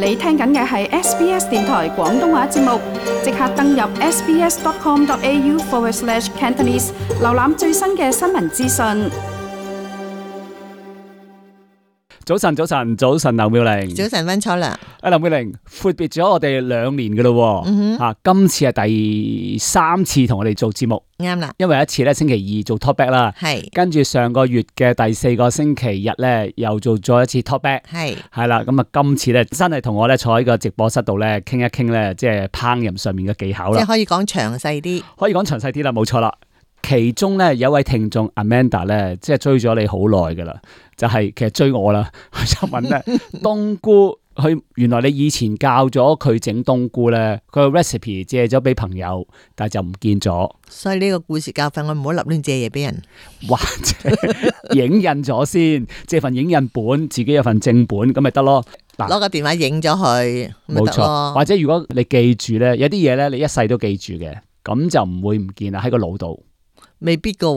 你聽緊嘅係 SBS 電台廣東話節目，即刻登入 sbs.com.au/cantonese 瀏覽最新嘅新聞資訊。早晨，劉妙玲。早晨，溫楚良。劉妙玲，闊別咗我哋2年噶咯，今次係第3次同我哋做節目，啱啦。因為一次咧星期2做 talkback 啦，係，跟住上個月嘅第4個星期日咧又做咗一次 talkback，係啦。咁啊，今次咧真係同我咧坐喺個直播室度咧傾一傾咧，即係烹飪上面嘅技巧啦。即係可以講詳細啲，啦，冇錯啦。其中咧有一位聽眾 Amanda 咧，即係追咗你好耐噶啦，就係其實追我啦。佢就問咧冬菇，佢原來你以前教咗佢整冬菇咧，佢個 recipe 借咗俾朋友，但係就唔見咗。所以呢個故事教訓我唔好立亂借嘢俾人，或者影印咗先，借份影印本，自己有份正本咁咪得咯。嗱，攞個電話影咗佢，冇錯。或者如果你記住咧，有啲嘢咧你一世都記住嘅，咁就唔會唔見啦，喺個腦度。未必噶，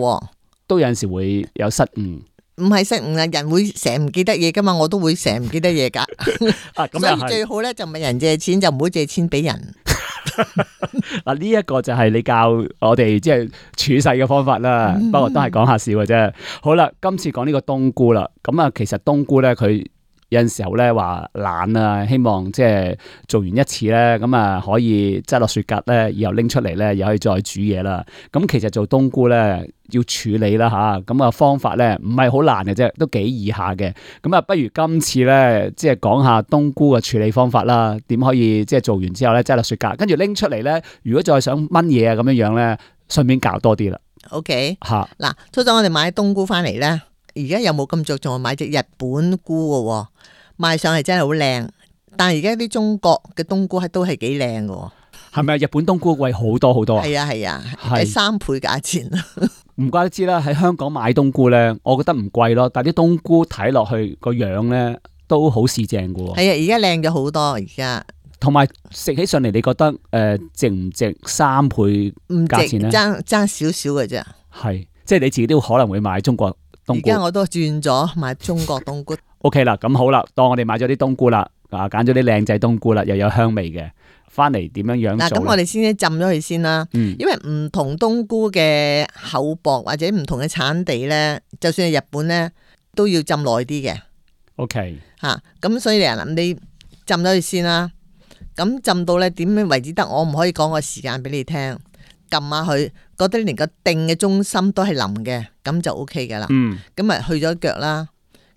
都有陣時會有失誤。唔係失誤啊，人會成日唔記得嘢噶嘛，我都會成日唔記得嘢噶。所以最好咧就問人借錢，就唔好借錢俾人。嗱，呢一個就係你教我哋即係處世嘅方法啦。不過都係講下笑嘅啫。好啦，今次講呢個冬菇啦。咁啊，其實冬菇咧佢有陣時候咧話懶啊，希望即係做完一次咧，咁啊可以擠落雪格咧，以後拎出嚟咧，又可以再煮嘢啦。咁其實做冬菇咧要處理啦吓，咁啊方法咧唔係好難嘅啫，都幾易下嘅。咁啊，不如今次咧即係講下冬菇嘅處理方法啦，點可以即係做完之後咧擠落雪格，跟住拎出嚟咧，如果再想炆嘢啊咁樣樣咧，順便教多啲啦。OK 吓，嗱，初初我哋買冬菇翻嚟咧，而家有冇咁着重買隻日本菇嘅？賣相係真係好靚，但係而家啲中國嘅冬菇都係幾靚嘅。係咪日本冬菇貴好多好多啊？係啊，係3倍價錢。唔怪得知啦，喺香港買冬菇咧，我覺得唔貴咯，但係啲冬菇睇落去個樣咧都好市正嘅。係啊，而家靚咗好多，而家。同埋食起上嚟，你覺得值唔值3倍價錢咧？爭少少嘅啫。係，即係你自己都可能會買中國冬菇。而家我都轉咗買中國冬菇。OK 啦，咁好啦，當我哋買咗啲冬菇啦，揀咗啲靚仔冬菇啦，又有香味嘅，翻嚟點樣樣做？咁我哋先浸咗佢先啦。因為唔同冬菇嘅厚薄或者唔同嘅產地咧，就算係日本咧，都要浸耐啲嘅。OK。咁所以你浸咗佢先啦。咁浸到咧點樣為止得？我唔可以講個時間俾你聽。撳下佢，覺得連個定嘅中心都係腍嘅，咁就 OK 噶啦。咁咪去咗腳啦。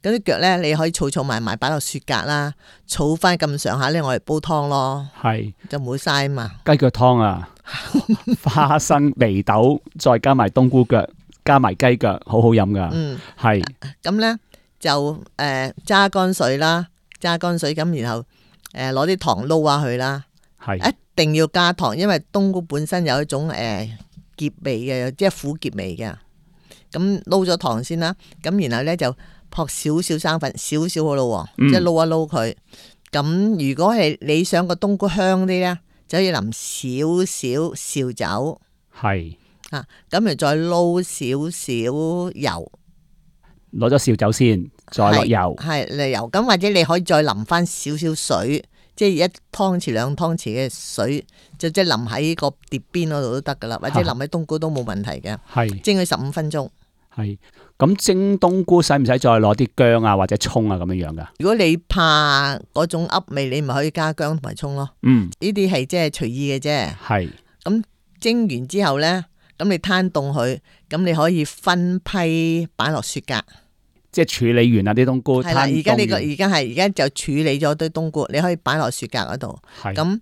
咁啲腳咧，你可以儲埋擺落雪格啦，儲翻咁上下咧，我嚟煲湯咯。係，就唔好嘥嘛。雞腳湯啊，花生、眉豆，再加埋冬菇腳，加埋雞腳，好好飲噶。係。咁咧就揸乾水啦，咁然後攞啲糖撈下佢啦。係。一定要加糖，因為冬菇本身有一種澀味嘅，即係苦澀味嘅。咁撈咗糖先啦，咁然後咧就撲少少生粉，少少好咯，即係撈一撈佢。咁如果係你想個冬菇香啲咧，就可以淋少少紹酒。係啊，咁然後再撈少少油，攞咗紹酒先，再落油。係落油，咁或者你可以再淋翻少少水。即係1湯匙2湯匙嘅水，就即係淋喺個碟邊嗰度都得噶啦，或者淋喺冬菇都冇問題嘅。係蒸佢15分鐘。係咁蒸冬菇使唔使再攞啲薑啊或者蔥啊咁樣樣噶？如果你怕嗰種噏味，你咪可以加薑同埋蔥咯。呢啲係即係隨意嘅啫。係咁蒸完之後咧，咁你攤凍佢，咁你可以分批擺落雪格。即係處理完啦啲冬菇，係啦，而家就處理咗堆冬菇，你可以擺落雪格嗰度。咁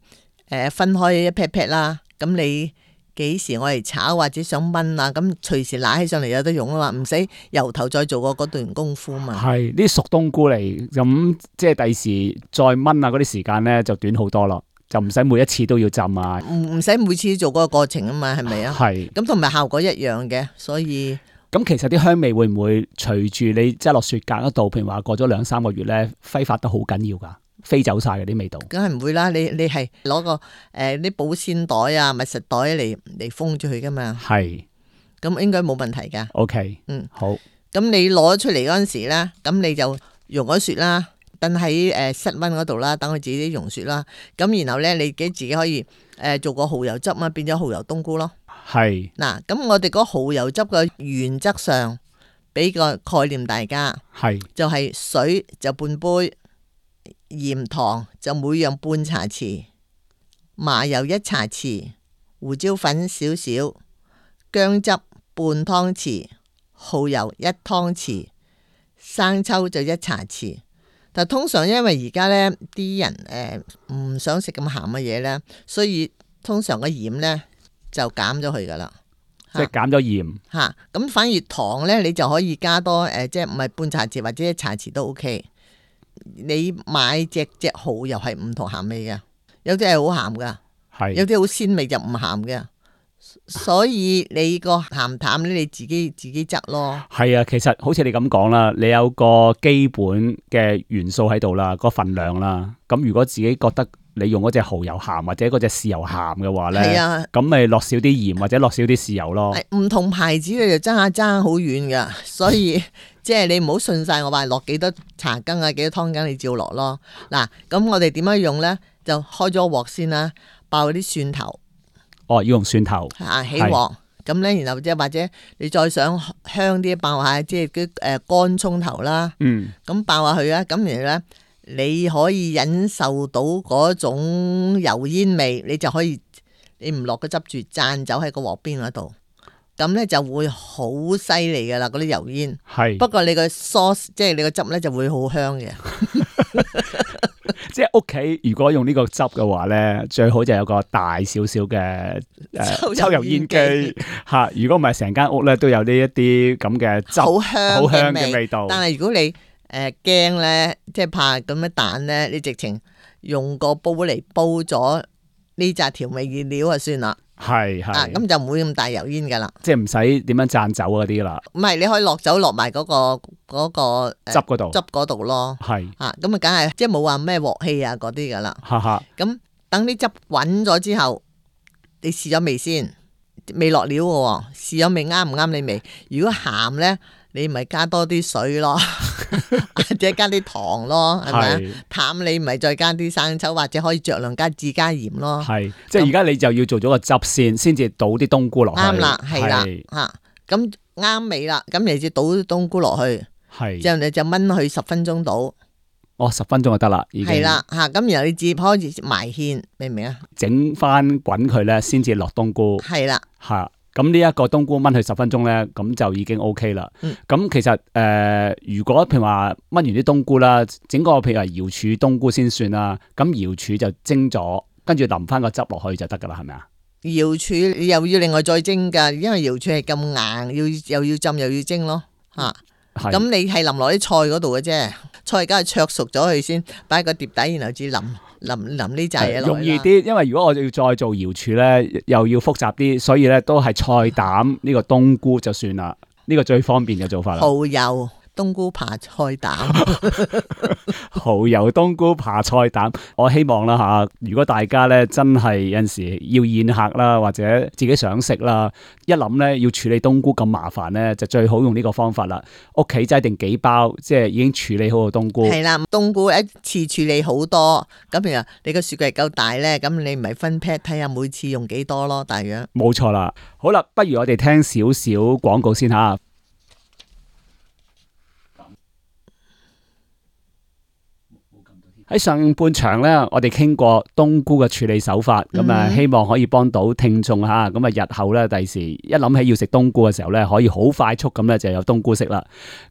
分開一 pat pat 啦。咁你幾時我嚟炒或者想炆啊？咁隨時拿起上嚟有得用啊嘛，唔使由頭再做過嗰段功夫嘛。係呢啲熟冬菇嚟，咁即係第時再炆啊嗰啲時間咧就短好多咯，就唔使每一次都要浸啊，唔使每次做嗰個過程啊嘛，係咪啊？係。咁同埋效果一樣嘅，所以。咁其實啲香味會唔會隨住你即係落雪格嗰度，譬如話過咗2-3個月咧，揮發得好緊要噶，飛走晒嗰啲味道？梗係唔會啦，你係攞個啲保鮮袋啊、密實袋嚟封住佢噶嘛。係，咁應該冇問題噶。OK，好。咁你攞出嚟嗰陣時咧，咁你就溶咗雪啦，等喺室溫嗰度啦，等佢自己溶雪啦。咁然後咧，你自己可以做個蠔油汁啊，變咗蠔油冬菇咯。係嗱，咁我哋嗰蠔油汁嘅原則上，俾個概念大家，係就係水就半杯，鹽糖就每樣半茶匙，麻油1茶匙，胡椒粉少少，薑汁半湯匙，蠔油1湯匙，生抽就1茶匙。但通常因為而家呢啲人唔想食咁鹹嘅嘢呢，所以通常個鹽呢就減咗佢噶啦，即係減咗鹽嚇。咁反而糖呢，你就可以加多即係唔係半茶匙或者1茶匙都 OK。你買隻蠔油係唔同鹹味嘅，有啲係好鹹噶，係有啲好鮮味就唔鹹嘅。所以你個鹹淡咧，你自己執咯。係啊，其實好似你咁講啦，你有個基本嘅元素喺度啦，個份量啦。咁如果自己覺得你用嗰隻蠔油鹹或者嗰隻豉油鹹嘅話咧，咁咪落少啲鹽或者落少啲豉油咯。唔同牌子你就爭好遠噶，所以即係你唔好信晒我話落幾多茶羹啊，幾多湯羹你照落咯。嗱，咁我哋點樣用咧？就開咗鑊先啦，爆啲蒜頭。哦，要用蒜頭起鑊，咁咧，然後即係或者你再想香啲，爆下即係啲乾葱頭啦。咁爆下去啊，咁然後咧，你可以忍受到嗰種油煙味，你就可以你唔落個汁住，灒走喺個鑊邊嗰度，咁咧就會好犀利噶啦，嗰啲油煙。係，不過你個 sauce 即係你個汁咧就會好香嘅。即係屋企如果用呢個汁嘅話咧，最好就有個大少少嘅抽油煙機吓。如果唔係，成間屋咧都有呢一啲咁嘅汁，好香嘅味道。但係如果你驚咧，即係怕咁嘅蛋咧，你直情用個煲嚟煲咗呢紮調味原料就算啦。係咁就唔會咁大油煙噶啦，即係唔使點樣灒酒嗰啲啦。唔係，你可以落酒落埋嗰個汁嗰度咯。係咁啊，梗係即係冇話咩鑊氣啊嗰啲噶啦。咁等啲汁滾咗之後，你試咗味先，未落料嘅，試咗味啱唔啱你味？如果鹹咧，你咪加多啲水咯，或者加啲糖咯，係咪啊？淡你咪再加啲生抽，或者可以酌量加鹽咯。係，即係而家你就要做咗個汁先至倒啲冬菇落去。啱啦，係啦，咁啱味啦，咁你就倒啲冬菇落去，之後你就燜佢10分鐘到。哦，10分鐘就得啦，已經係啦，咁然後你至開始埋芡，明唔明啊？整翻滾佢咧，先至落冬菇。係啦，咁呢一個冬菇燜佢10分鐘咧，咁就已經 OK 啦。咁其實如果譬如話燜完啲冬菇啦，整個譬如話瑤柱冬菇先算啦。咁瑤柱就蒸咗，跟住淋翻個汁落去就得噶啦，係咪啊？瑤柱你又要另外再蒸噶，因為瑤柱係咁硬，又要浸又要蒸咯。咁你係淋落啲菜嗰度嘅啫，菜梗係灼熟咗佢先，擺喺個碟底，然後至淋呢扎嘢落去。容易啲，因為如果我要再做瑤柱咧，又要複雜啲，所以咧都係菜膽呢個冬菇就算啦，呢個最方便嘅做法啦。蠔油冬菇扒菜膽，蠔油冬菇扒菜膽，我希望啦吓，如果大家咧真係有陣時要宴客啦，或者自己想食啦，一諗咧要處理冬菇咁麻煩咧，就最好用呢個方法啦。屋企擠定幾包，即係已經處理好個冬菇。係啦，冬菇一次處理好多，咁譬如你個雪櫃夠大咧，咁你咪分 pat 睇下每次用幾多咯，大約。冇錯啦，好啦，不如我哋聽少少廣告先吓。喺上半場咧，我哋傾過冬菇嘅處理手法，咁啊希望可以幫到聽眾吓，咁啊日後咧第時一諗起要食冬菇嘅時候咧，可以好快速咁咧就有冬菇食啦。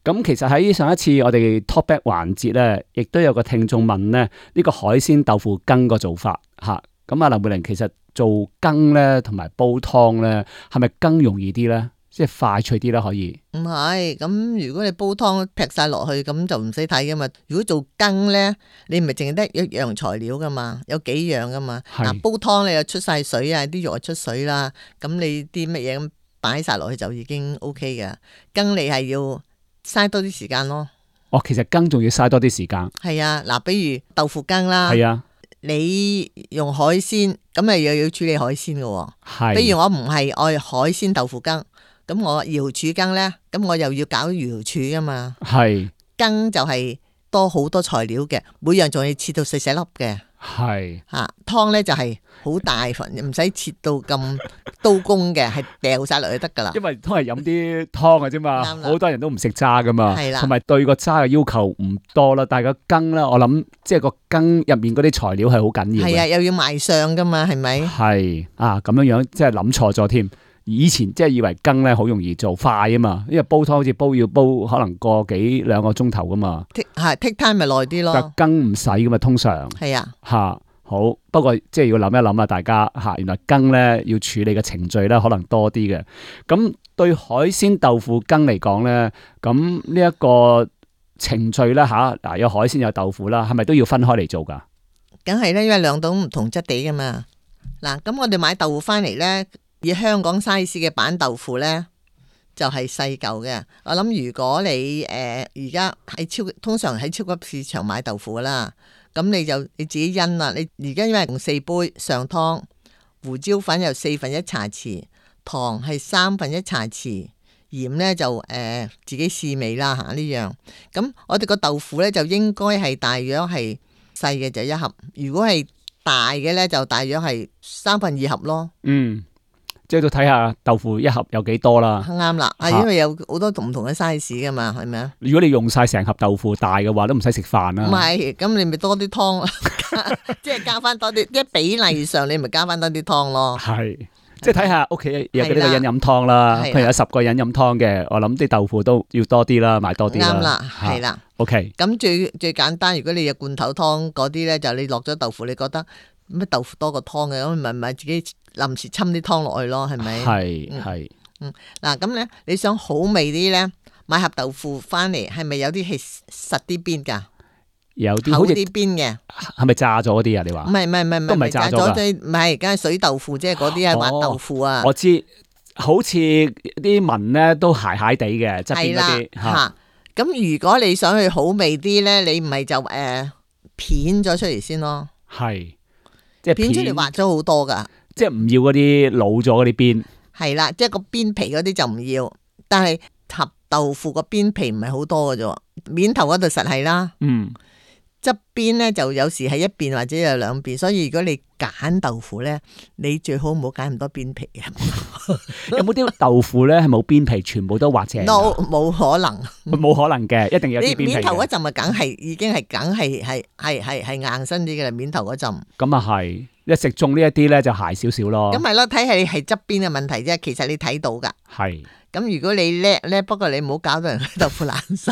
咁其實喺上一次我哋 talk back 環節咧，亦都有個聽眾問咧，呢個海鮮豆腐羹個做法吓，咁啊林佩玲其實做羹咧同埋煲湯咧，係咪羹容易啲咧？即係快脆啲啦，可以。唔係，咁如果你煲湯劈晒落去，咁就唔使睇噶嘛。如果做羹咧，你唔係淨係得一樣材料噶嘛，有幾樣噶嘛。嗱，煲湯你又出晒水啊，啲肉又出水啦，咁你啲乜嘢咁擺晒落去就已經 OK 噶。羹你係要嘥多啲時間咯。哦，其實羹仲要嘥多啲時間。係啊，嗱，比如豆腐羹啦。係啊。你用海鮮，咁咪又要處理海鮮噶。係。比如我唔係愛海鮮豆腐羹。咁我瑤柱羹咧，咁我又要搞瑤柱噶嘛。係羹就係多好多材料嘅，每樣仲要切到細細粒嘅。係湯咧就係好大份，唔使切到咁刀工嘅，係掉晒落去得噶啦。因為都係飲啲湯嘅啫嘛，好多人都唔食渣噶嘛，同埋對個渣嘅要求唔多啦。但係個羹咧，我諗即係個羹入面嗰啲材料係好緊要嘅。係啊，又要賣相噶嘛，係咪？係咁樣樣，即係諗錯咗添。以前即係以為羹咧好容易做，快啊嘛，因為煲湯好似要煲可能個幾兩個鐘頭噶嘛。take time 咪耐啲咯。但羹唔使噶嘛，通常係啊。好，不過即係要諗一諗啊，大家原來羹咧要處理嘅程序咧可能多啲嘅。咁對海鮮豆腐羹嚟講咧，咁呢一個程序咧嗱有海鮮有豆腐啦，係咪都要分開嚟做噶？梗係啦，因為兩種唔同質地噶嘛。嗱，咁我哋買豆腐翻嚟咧。以香港 size 嘅板豆腐呢，就係細嚿嘅。我諗如果你而家通常喺超級市場買豆腐啦，咁你自己因啦。你而家因為用4杯上湯，胡椒粉有1/4茶匙，糖係1/3茶匙，鹽呢就自己試味啦呢樣。咁我哋個豆腐呢，就應該係大約係細嘅就1盒，如果係大嘅呢，就大約係2/3盒咯。即係都睇下豆腐1盒有幾多啦。啱啦，因為有好多唔同嘅 size 噶嘛，係咪啊？如果你用晒成盒豆腐大嘅話，都唔使食飯啦。唔係，咁你咪多啲湯，即係加翻多啲，即係比例上你咪加翻多啲湯咯。係，即係睇下屋企有幾多個人飲湯啦。譬如有10個人飲湯嘅，我諗啲豆腐都要多啲啦，買多啲啦。啱啦，係啦。OK。咁最簡單，如果你有罐頭湯嗰啲咧，就你落咗豆腐，你覺得乜豆腐多過湯嘅，咁咪自己臨時侵啲湯落去咯，係咪？係。嗱，咁咧你想好味啲咧，買盒豆腐翻嚟，係咪有啲係實啲邊噶？有啲厚啲邊嘅，係咪炸咗嗰啲啊？你話？唔係，都唔係炸咗噶。唔係，梗係水豆腐，即係嗰啲係滑豆腐啊。我知，好似啲紋咧都鞋鞋地嘅側邊嗰啲吓。咁如果你想去好味啲咧，你唔係就片咗出嚟先咯。係，即係片出嚟滑咗好多噶。即係唔要嗰啲老咗嗰啲邊，係啦，即係個邊皮嗰啲就唔要，但係盒豆腐個邊皮唔係好多嘅啫，面頭嗰度實係啦，側邊咧就有時係一邊或者有兩邊，所以如果你揀豆腐咧，你最好唔好揀咁多邊皮啊。有冇啲豆腐咧係冇邊皮，全部都滑淨？No， 冇可能，冇可能嘅，一定有啲邊皮。你面頭嗰陣咪梗係已經係梗係硬身啲嘅啦，面頭嗰陣。咁啊係。一食中呢一啲咧就鞋少少咯，咁咪咯，睇下你係側邊嘅問題啫。其實你睇到噶，係咁如果你叻咧，不過你唔好搞到人豆腐爛晒。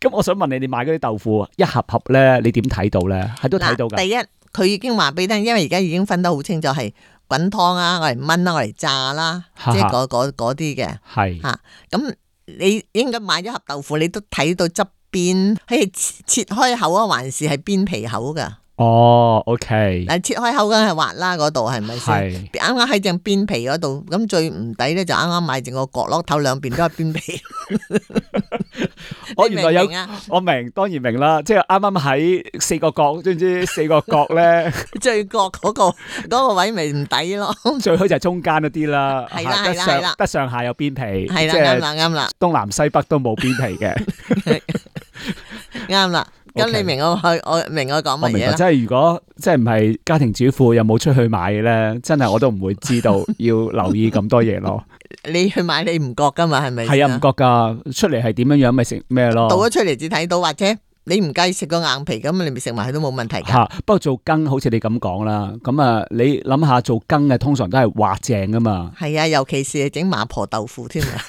咁我想問你，你買嗰啲豆腐一盒盒咧，你點睇到咧？係都睇到噶。第一，佢已經話俾你聽，因為而家已經分得好清楚，係滾湯啊，我嚟炆啦，我嚟炸啦，即係嗰啲嘅。係吓，咁你應該買咗盒豆腐，你都睇到側邊係切開口啊，還是係邊皮口噶？哦 ，OK。嗱，切開口梗係滑啦，嗰度係咪先？係啱啱喺正邊皮嗰度，咁最唔抵咧就啱啱買正個角落頭兩邊都係邊皮。我原來有，我明，當然明啦，即係啱啱喺4個角，知唔知4個角咧？最角嗰個位咪唔抵咯。最好就係中間嗰啲啦，係啦，得上下有邊皮，係啦，啱啦，東南西北都冇邊皮嘅，啱啦。咁你明我明我講乜嘢啦？即係如果即係唔係家庭主婦又冇出去買嘅咧，真係我都唔會知道要留意咁多嘢咯。你去買你唔覺噶嘛？係咪？係啊，唔覺噶，出嚟係點樣樣咪食咩咯？倒咗出嚟至睇到，或者你唔介意食個硬皮咁，你咪食埋佢都冇問題噶。不過做羹好似你咁講啦，咁啊，你諗下做羹嘅通常都係滑淨噶嘛。係啊，尤其是係整麻婆豆腐添啊。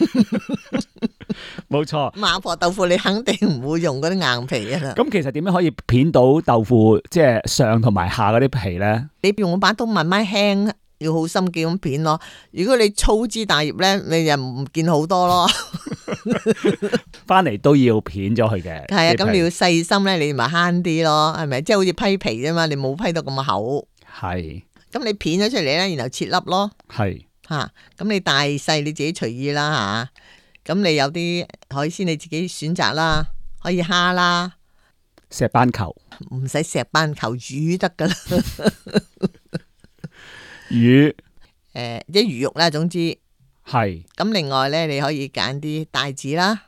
冇錯，麻婆豆腐你肯定唔會用嗰啲硬皮啊啦。咁其實點樣可以片到豆腐即係上同埋下嗰啲皮咧？你用把刀慢慢輕，要好心機咁片咯。如果你粗枝大葉咧，你就唔見好多咯。翻嚟都要片咗佢嘅。係啊，咁你要細心咧，你咪慳啲咯，係咪？即係好似批皮啫嘛，你冇批到咁厚。係。咁你片咗出嚟咧，然後切粒咯。係。吓，咁你大細你自己隨意啦吓。咁你有啲海鮮你自己選擇啦，可以蝦啦，石斑球，唔使石斑球，魚得噶啦，魚，啲魚肉啦，總之係。咁另外咧，你可以揀啲帶子啦，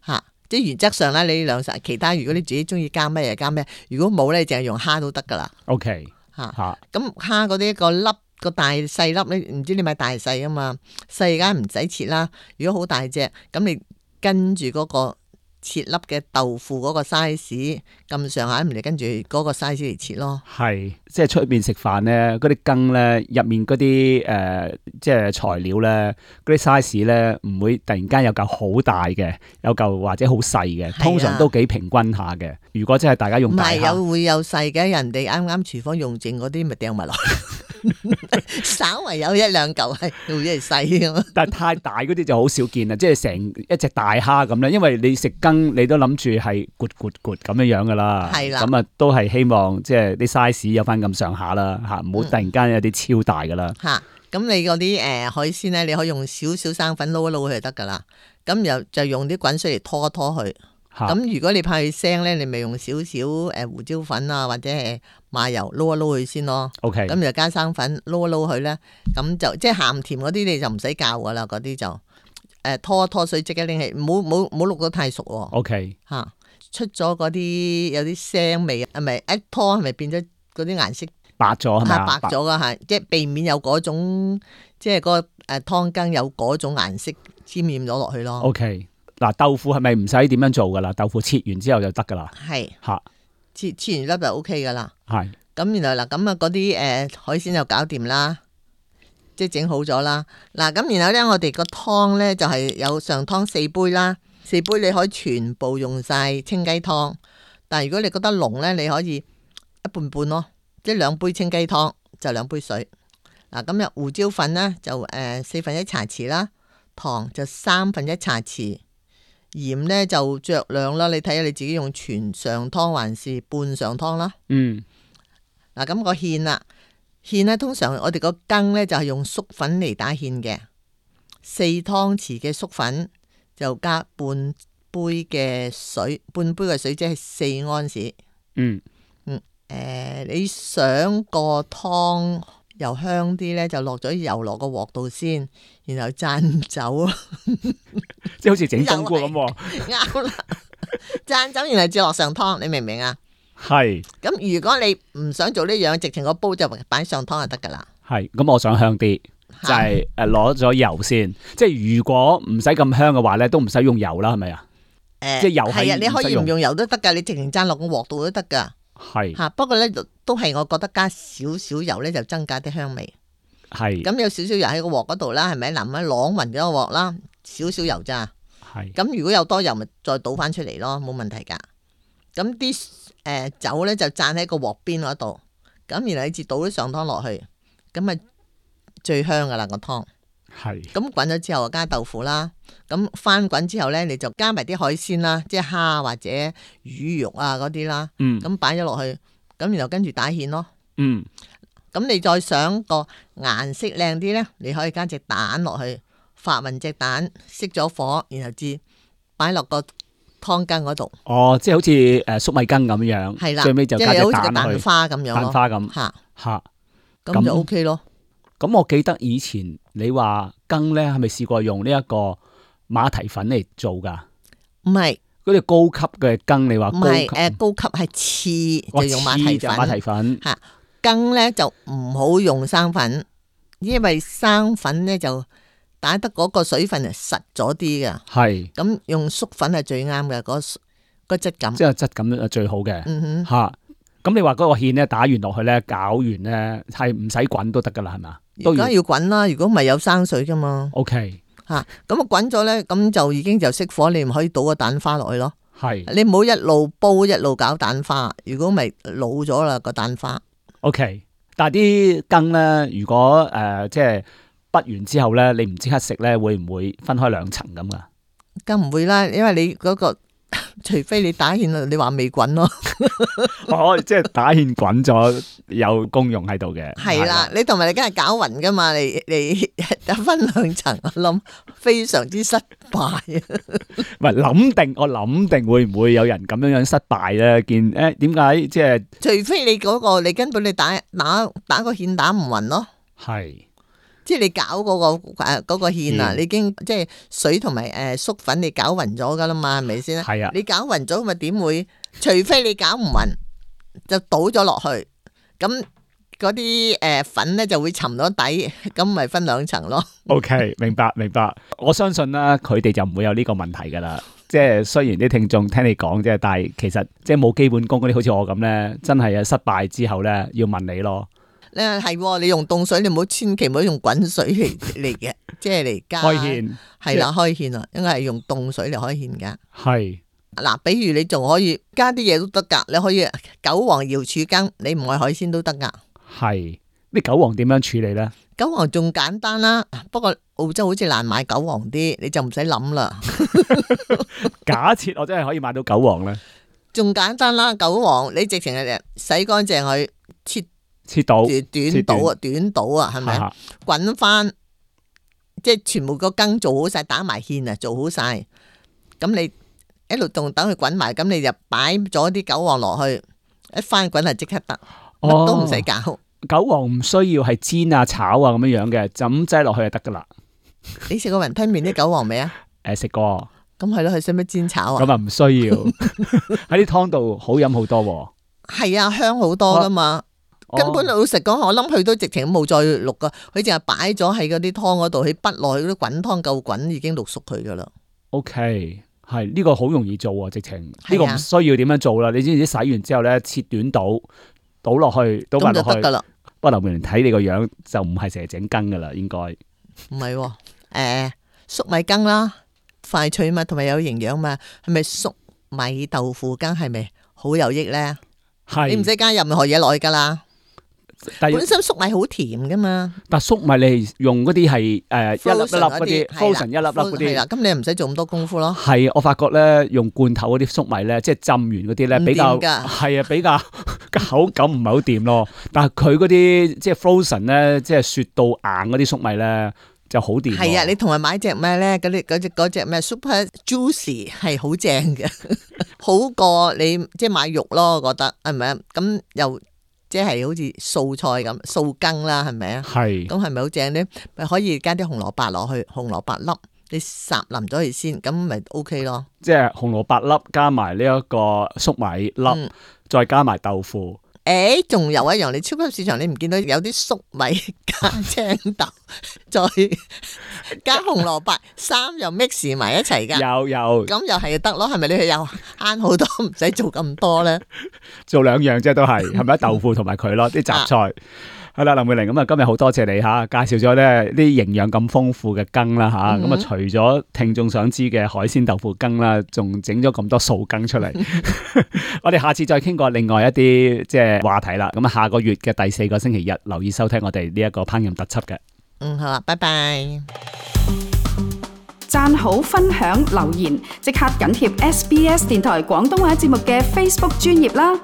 吓，即係原則上咧，你兩實其他如果你自己中意加咩就加咩，如果冇咧，淨係用蝦都得噶啦。OK 嚇，咁蝦嗰啲個粒個大細粒咧，唔知你買大細啊嘛，細梗唔使切啦。如果好大隻，咁你跟住嗰個切粒嘅豆腐嗰個 size 咁上下，咪跟住嗰個 size 嚟切咯。係，即係出邊食飯咧，嗰啲羹咧入面嗰啲即係材料咧，嗰啲 size 咧唔會突然間有嚿好大嘅，有嚿或者好細嘅，通常都幾平均下嘅。如果真係大家用大蝦，唔係會有細嘅，人哋啱啱廚房用剩嗰啲咪掟埋落去，稍為有一兩嚿係會係細咁。但係太大嗰啲就好少見啦，即係成一隻大蝦咁咧，因為你食羹你都諗住係咕咁樣樣噶啦，係啦，咁啊都係希望即係啲 size 有翻咁上下啦嚇，唔好突然間有啲超大噶啦嚇。咁你嗰啲海鮮咧，你可以用少少生粉撈一撈佢就得噶啦。咁又就用啲滾水嚟拖一拖佢。咁如果你怕佢腥咧，你咪用少少胡椒粉啊，或者係麻油撈一撈佢先咯。OK。咁就加生粉撈一撈佢咧，咁就即係鹹甜嗰啲你就唔使教噶啦，嗰啲就拖一拖水即刻拎起，唔好淥得太熟喎。OK。嚇，出咗嗰啲有啲腥味，係咪一拖係咪變咗嗰啲顏色白咗係咪啊？白咗噶係，即係避免有嗰種即係個湯羹有嗰種顏色沾染咗落去咯。OK。嗱，豆腐係咪唔使點樣做噶啦？豆腐切完之後就得噶啦。係嚇，切完粒就 OK 噶啦。係。咁然後嗱，咁啊嗰啲海鮮就搞掂啦，即係整好咗啦。嗱，咁然後咧，我哋個湯咧就係有上湯4杯啦，4杯你可以全部用晒清雞湯。但係如果你覺得濃咧，你可以一半半咯，即係2杯清雞湯就2杯水。嗱，咁胡椒粉咧就1/4茶匙啦，糖就1/3茶匙。鹽咧就酌量啦，你睇下你自己用全上湯還是半上湯啦。嗯。嗱，咁個芡啦，芡咧通常我哋個羹咧就係用粟粉嚟打芡嘅，4湯匙嘅粟粉就加半杯嘅水，半杯嘅水即係4安士。嗯。你想個湯又香啲咧，就落咗油落個鑊度先，然後讚酒咯，即係好似整冬菇咁喎。啱啦，讚酒然後至落上湯，你明唔明啊？係。咁如果你唔想做呢樣，直情個煲就擺上湯就得噶啦。係。咁我想香啲，就係攞咗油先。即係如果唔使咁香嘅話咧，都唔使用油啦，係咪啊？即係油係你可以唔用油都得噶，你直情讚落個鑊度都得噶。係。嚇，不過咧都係我覺得加少少油咧就增加啲香味。係。咁有少少油喺個鑊嗰度啦，係咪？嗱，咁啷勻咗個鑊啦，少少油咋。係。咁如果有多油，咪再倒翻出嚟咯，冇問題噶。咁啲酒咧就灒喺個鑊邊嗰度，咁然後你至倒啲上湯落去，咁咪最香噶啦個湯。係。咁滾咗之後加豆腐啦，咁翻滾之後咧你就加埋啲海鮮啦，即係蝦或者魚肉啊嗰啲啦。嗯。咁擺咗落去，咁然後跟住打芡咯。嗯。咁你再想個顏色靚啲咧，你可以加隻蛋落去，發勻隻蛋，熄咗火，然後至擺落個湯羹嗰度。哦，即係好似粟米羹咁樣。係啦。最尾就加隻蛋落去。即係好似個蛋花咁樣咯。蛋花咁。嚇。咁就 OK 咯。咁我記得以前你話羹咧，係咪試過用呢一個馬蹄粉嚟做噶？唔係，嗰啲高級嘅羹，你話高級？唔係，高級係翅就用馬蹄粉。馬蹄粉嚇，羹咧就唔好用生粉，因為生粉咧就打得嗰個水分係實咗啲嘅。係。咁用粟粉係最啱嘅，個質感。即係質感係最好嘅。嗯哼。嚇，咁你話嗰個芡咧打完落去咧，攪完咧係唔使滾都得噶啦，係嘛？而家要滾啦，如果唔係有生水噶嘛。OK。吓，咁啊滾咗咧，咁就已經就熄火，你唔可以倒個蛋花落去咯。係。你唔好一路煲一路搞蛋花，如果咪老咗啦個蛋花。OK。但係啲羹咧，如果即係滗完之後咧，你唔即刻食咧，會唔會分開2層咁噶？梗唔會啦，因為你嗰個除非你打芡，你話未滾咯。哦，即係打芡滾咗有功用喺度嘅。係啦，你同埋你梗係攪勻噶嘛，你分2層，我諗非常之失敗。唔係我諗定會唔會有人咁樣失敗咧？見點解即係？除非你嗰個你根本你打個芡打唔勻咯。係。即係你攪嗰個芡啊，你已經即係水同埋粟粉你攪勻咗噶啦嘛，係咪先？係啊，你攪勻咗咪點會？除非你攪唔勻，就倒咗落去，咁嗰啲粉咧就會沉咗底，咁咪分兩層咯。OK， 明白。我相信啦，佢哋就唔會有呢個問題噶啦。即係雖然啲聽眾聽你講啫，但係其實即係冇基本功嗰啲，好似我咁咧，真係啊失敗之後咧要問你咯。係，你用凍水，你唔好千祈唔好用滾水嚟嘅，即係嚟加開芡。係啦，開芡啊，應該係用凍水嚟開芡噶。係嗱，比如你仲可以加啲嘢都得噶，你可以韭黃瑤柱羹，你唔愛海鮮都得噶。係啲韭黃點樣處理咧？韭黃仲簡單啦，不過澳洲好似難買韭黃啲，你就唔使諗啦。假設我真係可以買到韭黃咧，仲簡單啦，韭黃你直情係洗乾淨佢，切到短倒啊，係咪？滾翻，即係全部個羹做好晒，打埋芡啊，做好晒。咁你一路仲等佢滾埋，咁你就擺咗啲韭黃落去，一翻滾係即刻得，乜都唔使搞。韭黃唔需要係煎啊、炒啊咁樣樣嘅，就咁擠落去就得噶啦。你食過雲吞麵啲韭黃未啊？食過。咁係咯，佢使乜煎炒啊？咁啊唔需要，喺啲湯度好飲好多。係啊，香好多噶嘛。根本老實講，我諗佢都直情冇再渌噶，佢淨係擺咗喺嗰啲湯嗰度，佢滗落去嗰啲滾湯夠滾，已經渌熟佢噶啦。OK， 係呢個好容易做啊，直情呢個唔需要點樣做啦。你知唔知洗完之後咧，切短倒落去，倒埋落去就得噶啦。不過劉明睇你個樣就唔係成日整羹噶啦，應該唔係粟米羹啦，快脆嘛，同埋有營養嘛，係咪粟米豆腐羹係咪好有益咧？係你唔使加任何嘢落去噶啦。本身粟米好甜噶嘛，但粟米你用嗰啲係一粒一粒嗰啲 frozen 一粒粒嗰啲，係啦，咁你唔使做咁多功夫咯。係我發覺咧，用罐頭嗰啲粟米咧，即係浸完嗰啲咧，比較係啊，比較口感唔係好掂咯。但係佢嗰啲即係 frozen 咧，即係雪到硬嗰啲粟米咧就好掂。係啊，你同埋買隻咩咧？嗰隻咩 Super Juicy 係好正嘅，好過你即係買肉咯。我覺得係咪啊？咁又。即係好似素菜咁素羹啦，係咪啊？係。咁係咪好正咧？咪可以加啲紅蘿蔔落去，紅蘿蔔粒你烚腍咗佢先，咁咪 OK 咯。即係紅蘿蔔粒加埋呢一個粟米粒，再加埋豆腐。仲有一樣，你超級市場你唔見到有啲粟米加青豆，再加紅蘿蔔，三樣 mix 埋一齊噶。有。咁又係得咯，係咪你又慳好多，唔使做咁多咧？做兩樣啫，都係咪豆腐同埋佢咯，啲雜菜。係啦，林慧玲，咁啊，今日好多謝你吓，介紹咗咧啲營養咁豐富嘅羹啦吓，咁啊除咗聽眾想知嘅海鮮豆腐羹啦，仲整咗咁多素羹出嚟。我哋下次再傾過另外一啲即係話題啦。咁啊，下個月嘅第4個星期日，留意收聽我哋呢一個烹飪特輯嘅。好啊，拜拜。讚好、分享、留言，即刻緊貼SBS 電台廣東話節目嘅 Facebook 專頁啦。